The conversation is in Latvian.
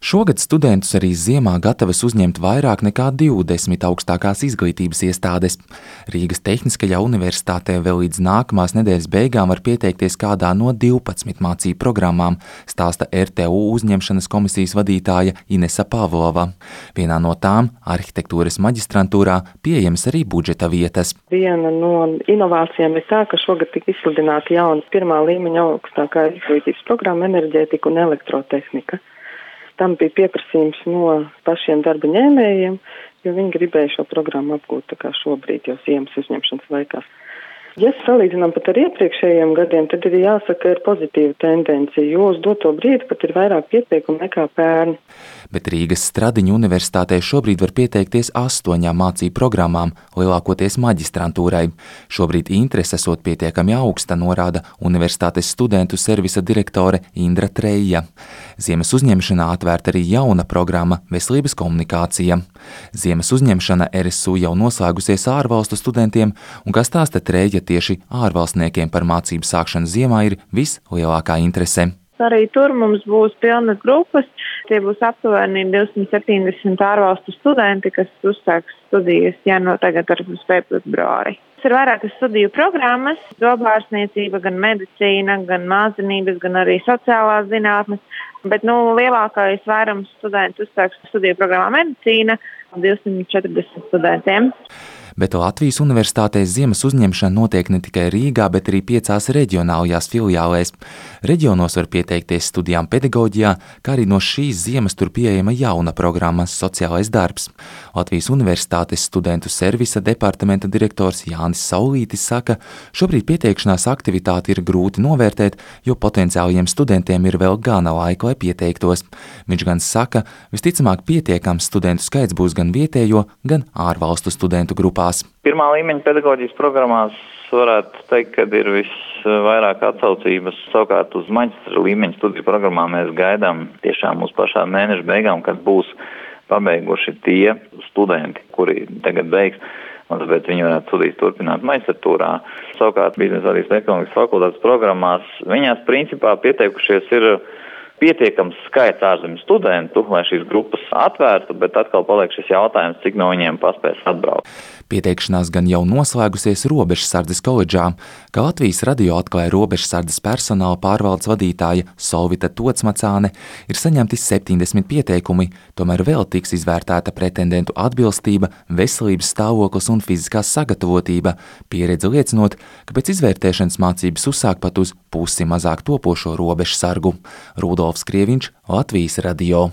Šogad studentus arī ziemā gatavas uzņemt vairāk nekā 20 augstākās izglītības iestādes. Rīgas Tehniskajā universitātē vēl līdz nākamās nedēļas beigām var pieteikties kādā no 12 mācību programmām, stāsta RTU uzņemšanas komisijas vadītāja Inesa Pavlova. Vienā no tām, arhitektūras maģistrantūrā, pieejamas arī budžeta vietas. Viena no inovācijām ir tā, ka šogad tika izsludināta jauna pirmā līmeņa augstākā izglītības programma enerģētika un elektrotehnika. Tam bija pieprasījums no pašiem darba ņēmējiem, jo viņi gribēja šo programmu apgūt tā kā šobrīd jau ziemas uzņemšanas laikā. Ja salīdzinām pat ar iepriekšējiem gadiem, tad ir jāsaka, ka ir pozitīva tendencija, jo uz doto brīdi pat ir vairāk pieteikumu nekā pērn. Bet Rīgas Stradiņu universitātē šobrīd var pieteikties 8 mācību programmām, lielākoties maģistrantūrai. Šobrīd interese esot pietiekami augsta, norāda universitātes studentu servisa direktore Indra Treja. Ziemas uzņemšanā atvērta arī jauna programma Veselības komunikācija. Ziemas uzņemšana RSU jau noslēgusies ārvalstu studentiem, un kā stāsta Treja, tieši ārvalstniekiem par mācību sākšanu ziemā ir vislielākā interese. Arī tur mums būs pilnas grupas, tie būs aptuveni 270 ārvalstu studenti, kas uzsāks studijas tagad ar februāri. Ir vairākas studiju programmas, zobārstniecība, gan medicīna, gan māksliniecības, gan arī sociālās zinātnes, bet lielākais vairums studentu uzsāks studiju programmā medicīna, 240 studentiem. Bet Latvijas universitātēs ziemas uzņemšana notiek ne tikai Rīgā, bet arī 5 reģionālajās filiālēs. Reģionos var pieteikties studijām pedagoģijā, kā arī no šīs ziemas tur pieejama jauna programma Sociālais darbs. Latvijas universitātes studentu servisa departamenta direktors Jānis Saulītis saka, šobrīd pieteikšanās aktivitāti ir grūti novērtēt, jo potenciāliem studentiem ir vēl gana laika, lai pieteiktos. Viņš gan saka, visticamāk pietiekams studentu skaits būs gan vietējo, gan ārvalstu studentu grupā. Pirmā līmeņa pedagoģijas programmās varētu teikt, ka ir visvairāk atsaucības. Savukārt uz maģistra līmeņa studiju programmām mēs gaidām tiešām uz pašā mēneša beigām, kad būs pabeiguši tie studenti, kuri tagad beigs, un tāpēc viņi varētu studijas turpināt maģistratūrā. Savukārt biznesa vadības ekonomikas fakultātes programmās viņās principā pieteikušies ir pietiekams skaits ārzemju studentu, lai šīs grupas atvērtu, bet atkal paliek šis jautājums, cik no viņiem paspēs atbraukt. Pieteikšanās gan jau noslēgusies Robežsardzes koledžā, kā Latvijas radio atklāja Robežsardzes personāla pārvaldes vadītāja Solvita Tocmacāne, ir saņemti 70 pieteikumi, tomēr vēl tiks izvērtēta pretendentu atbilstība, veselības stāvoklis un fiziskā sagatavotība, pieredze liecinot, ka pēc izvērtēšanas mācības uzsāk pat uz pusi mazāk topošo robežsargu. Rudolfs Krieviņš, Latvijas radio.